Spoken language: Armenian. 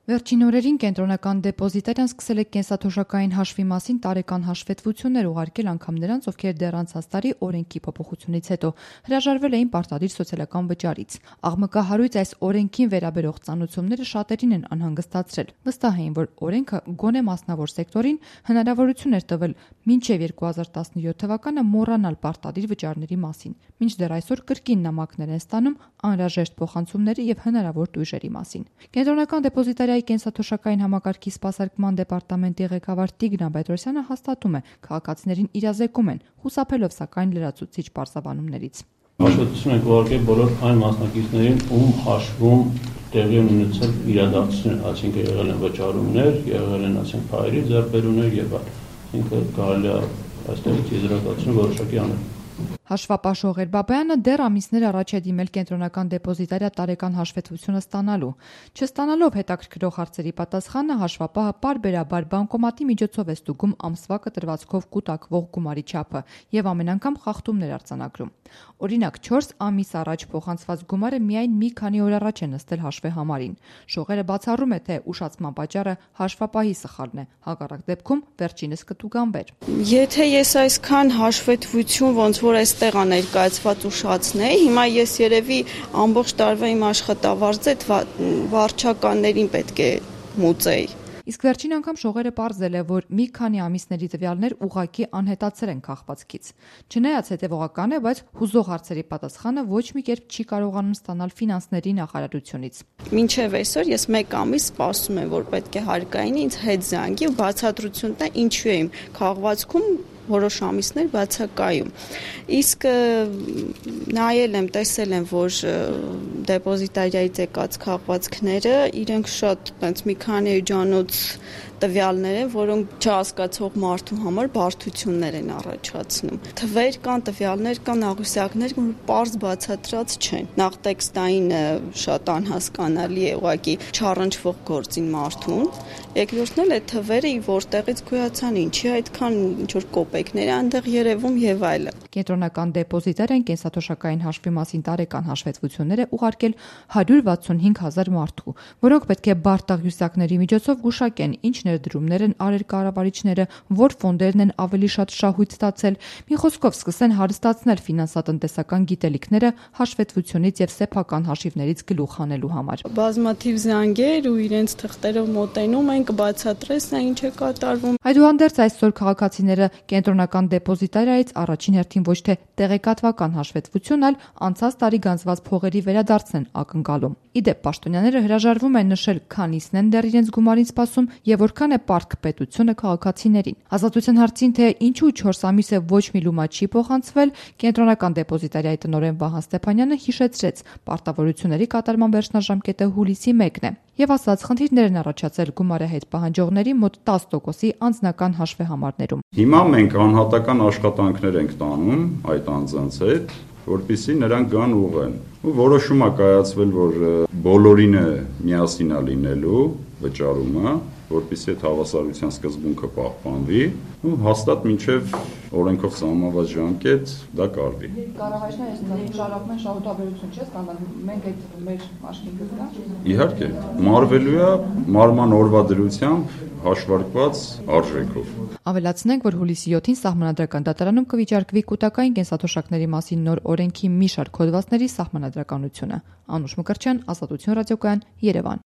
Վերջին օրերին կենտրոնական դեպոզիտարիան սկսել է կենսաթոշակային հաշվի մասին տարեկան հաշվետվություններ ուղարկել անգամ նրանց, ովքեր դեռ անցած տարի օրենքի փոփոխությունից հետո հրաժարվել էին պարտադիր սոցիալական վճարից։ Աղմկահարույց այս օրենքին վերաբերող ծանուցումները շատերին են անհանգստացրել։ Վստահ էին, որ օրենքը գոնե մասնավոր սեկտորին հնարավորություն էր տվել մինչև 2017 թվականը մոռանալ պարտադիր վճարների մասին, մինչդեռ այսօր կրկին նամակներ են ստանում անհրաժեշտ փոխանցումների եւ հնարավոր տույժերի մասին։ Կենտրոնական դեպոզիտարիայի կենսաթոշակային համակարգի սպասարկման դեպարտամենտի ղեկավար Տիգրան Պետրոսյանը հաստատում է, քաղաքացիներին իրազեկում են, խուսափելով սակայն լրացուցիչ պարզաբանումներից։ Հաշվետվություն ենք ուղարկել բոլոր այն մասնակիցներին, ում հաշվում տեղի են ունեցել իրադարձություններ, այսինքն եղել են վճարումներ, եղել են փայլի ձեռքբերումներ եւ այլն։ Այսինքն կարելի է այստեղից եզրակացություն որոշակի անել։ Հաշվապաշող Էրբաբայանը դեռ ամիսներ առաջ է դիմել կենտրոնական դեպոզիտարիա տարեկան հաշվետվությունը ստանալու։ Չստանալով հետաքրքրող հարցերի պատասխանը հաշվապահը պարբերաբար բանկոմատի միջոցով է ստուգում ամսվա կտրվածքով կուտակվող գումարի չափը եւ ամեն անգամ խախտումներ արձանագրում։ Օրինակ 4 ամիս առաջ փոխանցված գումարը միայն մի քանի օր առաջ է նստել հաշվեհամարին։ Շողերը բացառում է, թե ուշացման պատճառը հաշվապահի սխալն է, հակառակ դեպքում վերջինս կտուգանվեր։ Եթե ես այսքան հաշվետվություն ոնց որ այստեղ ներկայացված ուշացնեի, հիմա ես երևի ամբողջ տարվա իմ աշխատավարձը վարչականներին պետք է մուծեի։ Իսկ վերջին անգամ շողերը պարզել է, որ մի քանի ամիսների տվյալներ ուղղակի անհետացել են քաղվածքից։ Չնայած հետևողական է, բայց հուզող հարցերի պատասխանը ոչ մի կերպ չի կարողանում ստանալ ֆինանսների նախարարությունից։ Մինչև այսօր ես 1 ամիս սպասում եմ, որ պետք է հարկային ինձ հետ զանգի ու բացատրություն տա ինչու է իմ քաղվածքում որոշ ամիսներ բացակայում։ Իսկ նայել եմ, տեսել եմ, որ դեպոզիտարիայից եկած քաղվածքները իրենք շատ այնց մի քանի էջանոց տվյալներ են, որոնք չհասկացող մարդու համար բարդություններ են առաջացնում։ Թվեր կան, տվյալներ կան, աղյուսակներ, որ պարզ բացատրած չեն։ Նախ տեքստային շատ անհասկանալի է ուղղակի չառնչվող գործին մարդուն։ Երկրորդն էլ է թվերը որտեղից գոյացան, ինչի այդքան ինչ որ կոպեկներ այնտեղ երևում եւ այլն։ Կենտրոնական դեպոզիտարիան կենսաթոշակային հաշվի մասին տարեկան հաշվետվություններ է ուղարկել 165,000 մարդու, որոնք պետք է բարդ աղյուսակների միջոցով գուշակեն ինչ ներդրումներ են արել կառավարիչները, որ ֆոնդերն են ավելի շատ շահույթ ստացել, մի խոսքով սկսեն հարստացնել ֆինանսատնտեսական գիտելիքները հաշվետվությունից եւ սեփական հաշիվներից գլուխ հանելու համար։ Բազմաթիվ զանգեր ու իրենց թղթերով մոտենում են, կբացատրես նա ինչ է կատարվում։ Այդուհանդերձ այսօր քաղաքացիները կենտրոնական դեպոզիտարիայից առաջին հերթին ոչ թե տեղեկատվական հաշվետվություն, այլ անցած տարի գանձված փողերի վերադարձն են ակնկալում։ Իդեպ պաշտոնյաները հրաժարվում են նշել քանիսն են դեռ իրենց գումարին սպասում եւ որքան է պարտք պետությունը քաղաքացիներին։ Ազատության հարցին, թե ինչու 4 ամիս է ոչ մի լումա չի փոխանցվել, կենտրոնական դեպոզիտարիայի տնօրեն Վահան Ստեփանյանը հիշեցրեց, պարտավորությունների կատարման վերջնաժամկետը հուլիսի 1-ն է եւ ասաց, խնդիրներ են առաջացել գումարը հետ պահանջողների մոտ 10%-ի անձնական հաշվեհամարներում։ Հիմա մենք անհատական աշխատանքներ ենք տանում այդ անձանց հետ, որպեսզի նրանք գան ուղղեն։ Ու որոշում է կայացվել, որ բոլորին է միասին լինելու վճարումը, որպեսզի այդ հավասարության սկզբունքը պահպանվի ու հաստատ մինչև օրենքով սահմանված ժամկետ դա կարվի։ Կառավարիչները շարունակում են շահութաբերություն չէ ստանալ, մենք այդ մեր աշխինքից կա։ Իհարկե, մարվելու է մարման օրվա դրությամբ հաշվարկված արժեքով։ Ավելացնենք, որ հուլիսի 7-ին Սահմանադրական դատարանում կվիճարկվի կուտակային կենսաթոշակների մասին նոր օրենքի մի շարք հոդվածների սահմանադրականությունը։ Անուշ Մկրտչյան, Ազատություն ռադիոկայան, Երևան։